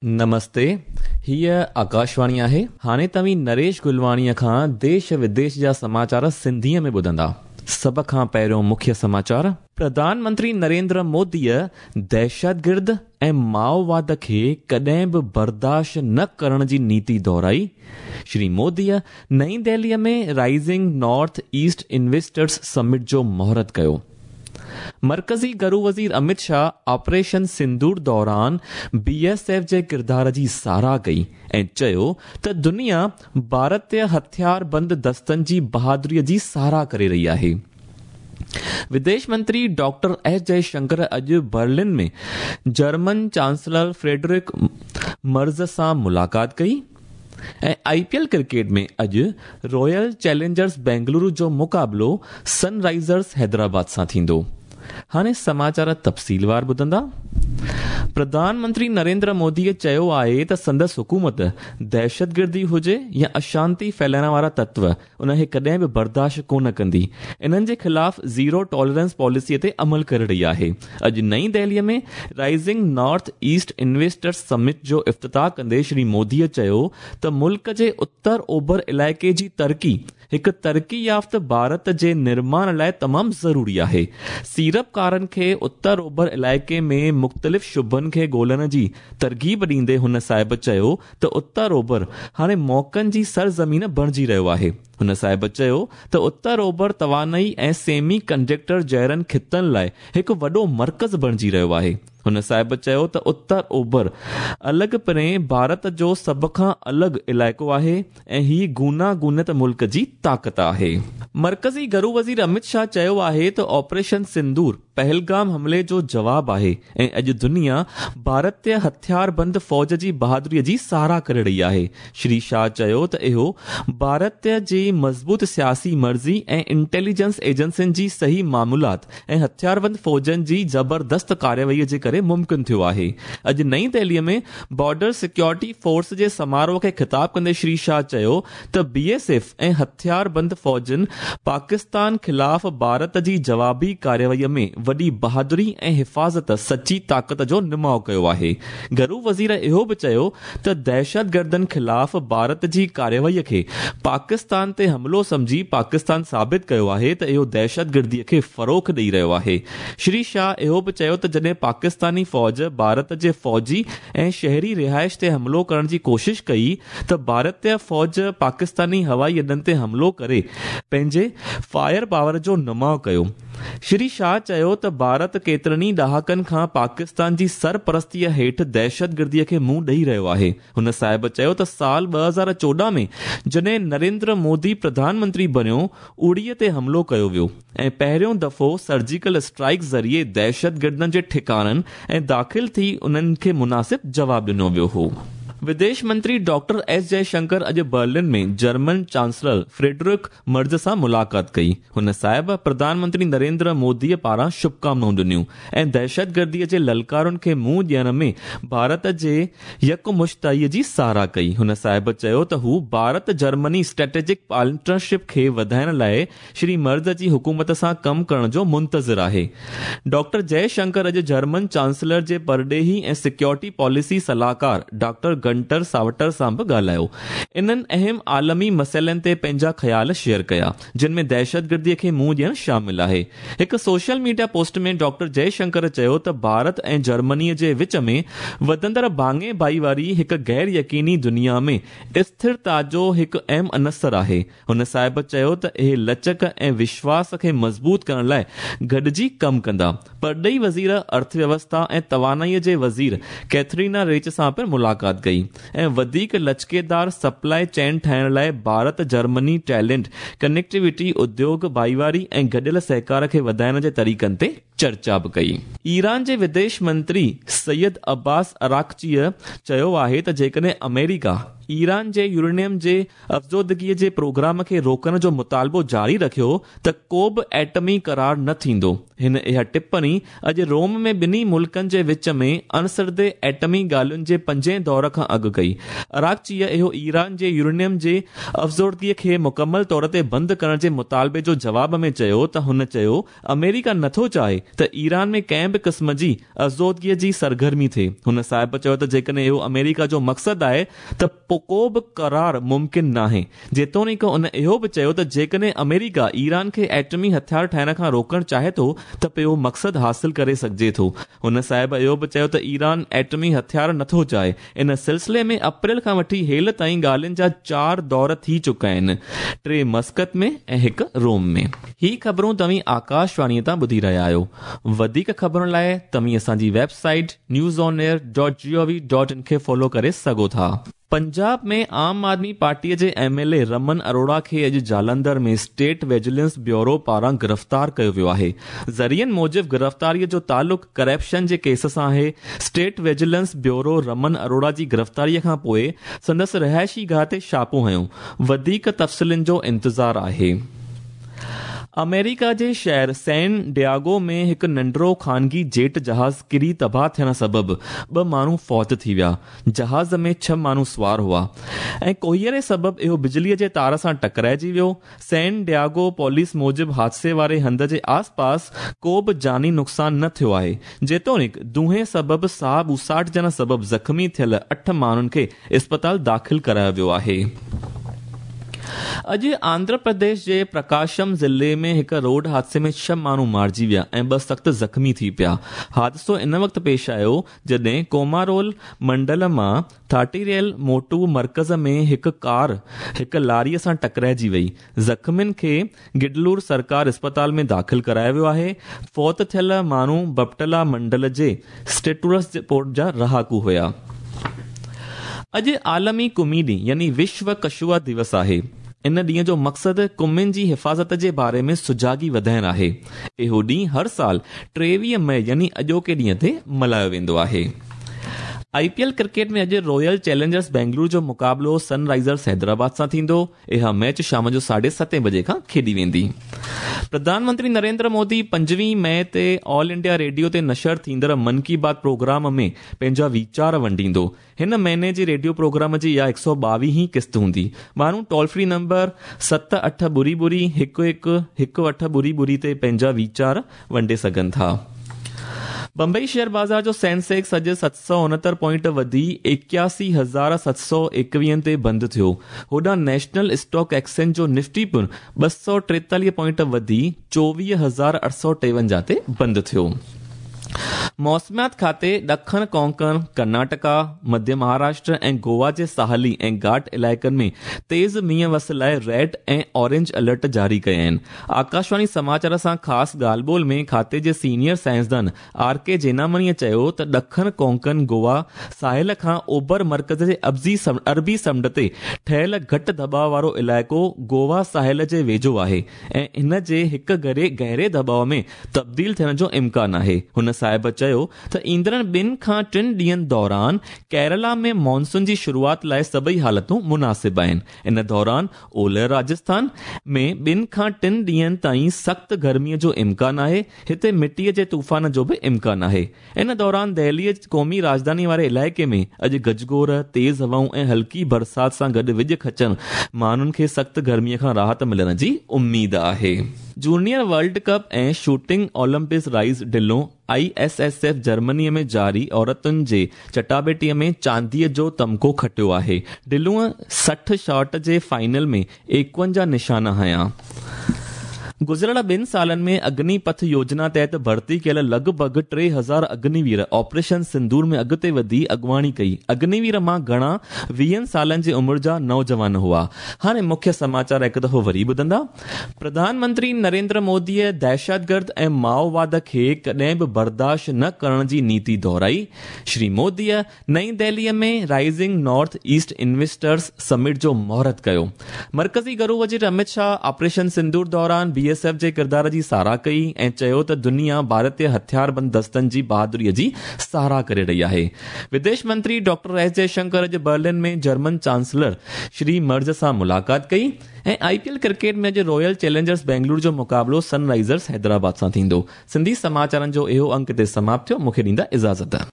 نمستي، هيء آڪاشواڻي آهي. هاڻي توهين نريش گلواڻيء کان ديش وديش جا سماچار سنڌيء ۾ ٻڌندا. سڀ کان پهريون مکيه سماچار. پرڌان منتري نريندر موديء دهشتگرد ۽ مائوواد کي ڪڏهن به برداشت نه ڪرڻ جي نيتي دهرائي. شري موديء نئين دهليء ۾ rising north east investors summit جو مهورت ڪيو. مرڪزي گهرو وزير امت شاهه آپريشن سندور دوران بي ايس ايف جي ڪردار جي ساراهه ڪئي ۽ چيو ته دنيا ڀارتي هٿياربند دستن جي بهادري جي ساراهه ڪري رهي آهي. وديش منتري ڊاڪٽر ايس جئي شنڪر اڄ برلن ۾ جرمن چانسلر فريڊرڪ مرز سان ملاقات ڪئي. ۽ آء پي ايل ڪرڪيٽ ۾ اڄ رائل چئلينجرز بينگلورو جو مقابلو سن رائزرز حيدرآباد سان ٿيندو. هاڻي سماچار تفصيلوار ٻڌندا. پرڌان منتري نريندر موديء چيو آهي ته سندس حڪومت دهشتگردي هجي يا اشانتي ڦهلائڻ وارا تتو ان کي ڪڏهن به برداشت ڪونه ڪندي، انهن جي خلاف زيرو ٽالرنس پاليسي تي عمل ڪري رهي آهي. اڄ نئين Delhi ۾ rising north east investors summit جو افتتاح ڪندي شري مودي چيو ته ملڪ جي اتر اوڀر علائقي جي ترقي هڪ ترقي يافته ڀارت جي نرماڻ لاء تمام ضروري آهي. سيڙپڪارن کي اتر اوڀر علائقي ۾ مختلف شعبن کي ڳولڻ جي ترغيب ڏيندي هن صاحب چيو ته اتر اوڀر هاڻي موقعن جي سرزمين بڻجي رهيو آهي. هن صاحب چيو ته اتر اوڀر توانائي ۽ سيمي ڪنڊڪٽر جهڙن خطن لاء هڪ وڏو مرڪز بڻجي رهيو آهي. هن صاحب چيو ته اتر اوڀر الڳ پرين ڀارت جو سڀ کان الڳ علائقو آهي ۽ هي گوناگونيت ملڪ جي طاقت آهي. مرڪزي گهرو وزير امت شاهه چيو آهي ته آپريشن سندور پهلگام حملي جو جواب آهي ۽ اڄ دنيا ڀارتي هٿياربند فوج جي بهادري جي ساراهه ڪري رهي آهي. شري شاهه چيو ته اهو ڀارت جي مضبوط سياسي مرضي ۽ انٽيليجنس ايجنسين جي صحيح معلومات ۽ هٿياربند فوجن جي زبردست ڪارروائي جي ڪري ممڪن ٿيو آهي. اڄ نئين دهلي ۾ بارڊر سيڪيورٽي فورس جي سماروهه کي خطاب ڪندي شري شاهه چيو ته بي ايس ايف ۽ هٿياربند فوجن پاڪستان خلاف ڀارت جي جوابي ڪارروائي ۾ وڏي بهادري ۽ حفاظت سچي طاقت جو نماء ڪيو آهي. گهرو وزير اهو به چيو ته دهشتگردن خلاف ڀارت جي ڪارروائي کي پاڪستان تي حملو سمجهي پاڪستان ثابت ڪيو آهي ته اهو دهشتگردي کي فروغ ڏئي رهيو آهي. شري شاهه اهو به چيو ته جڏهن پاڪستاني فوج ڀارت جي فوجي ۽ شهري رهائش تي حملو ڪرڻ جي ڪوشش ڪئي ته ڀارتي فوج پاڪستاني هوائي اڏن تي حملو ڪري پنهنجي فائر پاور جو نماء ڪيو. شري شاهه چيو ته ڀارت ڪيترن ئي ڏهاڪن کان پاڪستان جي سرپرستيء هيٺ دهشتگردي کي منهن ڏئي رهيو آهي. هن صاحب چيو ته سال 2014 ۾ جڏهن نريندر مودي پرڌان منتري بڻيو، اڙي تي حملو ڪيو ويو ۽ پهريون دفعو سرجيڪل اسٽرائيڪ ذريعي دهشتگردن جي ٺڪاڻن ۽ داخل ٿي انهن کي مناسب جواب ڏنو ويو هو. وديش منتري ڊاڪٽر ايس جئي شنڪر اڄ برلن ۾ جرمن چانسلر فريڊرڪ مرز سان ملاقات ڪئي. هن صاحب پرڌان منتري نريندر موديء پاران شڀڪامنائون ڏنيون ۽ دهشتگرديء جي للڪارن کي منهن ڏيڻ ۾ ڀارت جي يڪمشتائيء جي ساراهه ڪئي. هن صاحب چيو ته هو ڀارت جرمني اسٽريٽجڪ پارٽنرشپ کي وڌائڻ لاء شري مرز جي حڪومت سان ڪم ڪرڻ جو منتظر آهي. ڊاڪٽر جئي شنڪر اڄ جرمن چانسلر جي پرڏيهي ۽ سيڪيورٽي پاليسي صلاحڪار ڊاڪٽر گنٽر ساوٽر سان به ڳالهايو. انهن اهم عالمي مسئلن تي پنهنجا خيال شيئر ڪيا، جن ۾ دهشتگردي کي منهن ڏيڻ شامل آهي. هڪ social media post ۾ doctor Jai Shankar چيو ته ڀارت ۽ جرمني جي وچ ۾ وڌندڙ ڀاڱي ڀائيواري هڪ غير يقيني دنيا ۾ اسٿرتا جو هڪ اهم عنصر آهي. هن صاحب چيو ته اهي لچڪ ۽ وشواس کي مضبوط ڪرڻ لاء گڏجي ڪم ڪندا. پرڏيهي وزير ارٿويوسٿا ۽ توانائي جي وزير ڪيٿرينا ريچ سان پڻ ملاقات ڪئي ۽ وڌيڪ لچڪيدار سپلاء چين ٺاهڻ لاء ڀارت جرمني ٽيلنٽ ڪنيڪٽيوٽي، اديوگ ڀائيواري ۽ گڏيل سهڪار کي وڌائڻ جي طريقن تي چرچا به ڪئي. ايران جي وديش منتري سيد عباس عراقچيء چيو آهي ته جيڪڏهن آمريڪا ايران جي يورينيم جي افزودگيء جي پروگرام کي روڪڻ جو مطالبو جاري رکيو ته ڪو به ايٽمي قرار نه ٿيندو. هن اها ٽپڻي اڄ روم ۾ ٻنهي ملڪن جي وچ ۾ اڻسڌي ايٽمي ڳالهين جي پنجين دور کان اڳ ڪئي. عراقچيء اهو ايران جي يورينيم جي افزودگيء کي مڪمل طور تي بند ڪرڻ جي مطالبي جو جواب ۾ چيو ته هن چيو آمريڪا نٿو چاهي ته ايران ۾ ڪنهن به قسم جي آزودگيء جي سرگرمي ٿئي. هن صاحب چيو ته جيڪڏهن اهو آمريڪا جو مقصد آهي ته پوء ڪو به قرار ممڪن ناهي. جيتوڻيڪ ان اهو به چيو ته جيڪڏهن آمريڪا ايران کي ايٽمي هٿيار ٺاهڻ کان روڪڻ چاهي ٿو ته پوء اهو مقصد حاصل ڪري سگهجي ٿو. هن صاحب اهو به چيو ته ايران ايٽمي هٿيار نٿو چاهي. ان سلسلي ۾ اپريل کان وٺي هيل تائين ڳالهين جا چار دور ٿي چڪا آهن، ٽي مسقط ۾ ۽ هڪ روم ۾. هي خبرون توهين آڪاشواڻيء تان ٻڌي رهيا آهيو. وڌيڪ خبرن لاء توهين اسان جي website news on air dot G O V dot in کي فالو ڪري سگهو ٿا. پنجاب ۾ عام آدمي پارٽيء جي M L A Raman Arora کي اڄ جالنڌر ۾ اسٽيٽ ويجلنس بيورو پاران گرفتار ڪيو ويو آهي. ذريعن موجب گرفتاريء جو تعلق ڪرپشن جي ڪيس سان آهي. State vigilance bureau Raman Arora جي گرفتاريء کان پوء سندس رهائشي گاهه تي ڇاپو هنيو. وڌيڪ تفصيلن جو انتظار آهي. آمريڪا جي شهر سين ڊياگو ۾ هڪ ننڍڙو خانگي جيٽ جهاز ڪري تباهه ٿيڻ سبب ٻه ماڻهو فوت ٿي ويا. جهاز ۾ ڇهه ماڻهو سوار هئا ۽ ڪوهيڙي سبب اهو بجليء جي تار سان ٽڪرائجي ويو. سين ڊياگو پوليس موجب حادثي واري هنڌ جي آس پاس ڪو به جاني نقصان نه ٿيو آهي. جيتوڻيڪ دونهين سبب ساهه ٻوساٽجڻ سبب زخمي ٿيل اٺ ماڻهن کي اسپتال داخل ڪرايو ويو آهي. اڄ آنڌرا پرديش جي پرڪاشم ضلعي ۾ هڪ روڊ حادثي ۾ ڇهه ماڻهو مارجي ويا ۽ ٻه سخت زخمي ٿي پيا. حادثو ان وقت پيش آيو جڏهن ڪومارول منڊل مان ٿاٽيريل موٽو مرڪز ۾ هڪ ڪار هڪ لاري سان ٽڪرائجي وئي. زخمين کي گڊلور سرڪار اسپتال ۾ داخل ڪرايو ويو آهي. فوت ٿيل ماڻهو بپٽلا منڊل جي اسٽيٽورس پورٽ جا رهاڪو هيا. اڄ عالمي ڪمي ڏينهن يعني وشو ڪشوا دوس آهي. ان ڏينهن جو مقصد ڪمين جي حفاظت جي باري ۾ سجاڳي وڌائڻ آهي. اهو ڏينهن هر سال 23 مئي يعني اڄوڪي ڏينهن تي ملهايو ويندو آهي. آء پي ايل ڪرڪيٽ ۾ اڄ رائل چئلينجرز بينگلور جو مقابلو سن رائزرز حيدرآباد سان ٿيندو. اها ميچ شام جو ساڍي ستين بجي کان کيڏي ويندي. پرڌان منتري نريندر مودي پنجويهه مئي تي آل انڊيا ريڊيو تي نشر ٿيندڙ من ڪي بات پروگرام ۾ پنهنجا ويچار ونڊيندو. هن مهيني جي ريڊيو پروگرام جي اها هڪ سؤ ٻاويهين قسط هوندي. ماڻهو ٽول فري نمبر ست اٺ ٻڙي ٻڙي هڪ هڪ هڪ اٺ ٻڙي ٻڙي تي پنهنجا ويچار ونڊي سگهن ٿا. بمبئي شيئر بازار جو سينسيڪس اڄ 769 پوائنٽ وڌي 81721 تي بند ٿيو. هوڏانهن نيشنل اسٽاڪ ايڪسچينج جو نفٽي پڻ 243 پوائنٽ وڌي 24853 تي بند ٿيو. موسميات کاتي ڏکڻ ڪونڪڻ، ڪرناٽڪا، مڌيه مهاراشٽر ۽ گوا جي ساحلي ۽ گهاٽ علائقن ۾ تيز مينهن وس لاء ريڊ ۽ اورينج الرٽ جاري ڪيا آهن. آڪاشواڻي سماچار سان خاص ڳالهه ٻولهه ۾ کاتي جي سينيئر سائنسدان آر ڪي جينامڻيء چيو ته ڏکڻ ڪونڪن گوا ساحل کان اوڀر مرڪز جي عربي سمنڊ تي ٺهيل گهٽ دٻاء وارو علائقو گوا ساحل جي ويجهو آهي ۽ ان جي هڪ گهري دٻاء ۾ تبديل ٿيڻ جو امڪان آهي. هن صاحب چيو ته ايندڙ ٻن کان ٽن ڏينهن دوران ڪيرالا ۾ مانسون جي شروعات لاء سڀئي حالتون مناسب آهن. ان دوران اولهه راجسٿان ۾ ٻن کان ٽن ڏينهن تائين سخت گرمي جو امڪان آهي، هتي مٽيء جي طوفان جو به امڪان آهي. ان دوران دهليء قومي راڄڌاني واري علائقي ۾ اڄ گجگوڙ، تيز هوائون ۽ هلڪي برسات سان گڏ وڄ کچڻ ماڻهن کي سخت گرمي کان راحت ملڻ جي اميد آهي. Junior world cup ۽ shooting Olympics rise Dhillon I S S F Germany ۾ جاري عورتن جي چٽاڀيٽي ۾ چانديء جو تمغو کٽيو آهي. ڍلون 60 شاٽ جي فائنل ۾ 51 نشانا هنيا. گذريل ٻن سالن ۾ اگني پٿ يوجنا تحت ڀرتي ڪيل لڳ ڀڳ 3000 اگني وير آپريشن سندور ۾ اڳتي وڌي اڳواڻي ڪئي. اگني وير مان گهڻا ويهن سالن جي عمر جا نوجوان هئا. هاڻي مکيه سماچار هڪ دفعو وري ٻڌندا. پرڌان منتري نريندر موديء دهشتگرد ۽ مائوواد کي ڪڏهن به برداشت نه ڪرڻ جي نيتي دهرائي. شري موديء نئين دهليء ۾ rising north east investors summit جو مهورت ڪيو. مرڪزي گهرو وزير امت شاهه آپريشن سندور دوران بي ايس ايف جي ڪردار جي ساراهه ڪئي ۽ چيو ته دنيا ڀارتي هٿياربند دستن جي بهادريء جي ساراهه ڪري رهي آهي. وديش منتري ڊاڪٽر ايس جئشنڪر اڄ برلن ۾ جرمن چانسلر شري مرز سان ملاقات ڪئي. ۽ آء پي ايل ڪرڪيٽ ۾ اڄ رائل چئلينجرز بينگلور جو مقابلو سن رائزرز حيدرآباد سان ٿيندو. سنڌي سماچارن جو اهو انڪ هتي سماپت ٿيو. مون کي ڏيندا اجازت.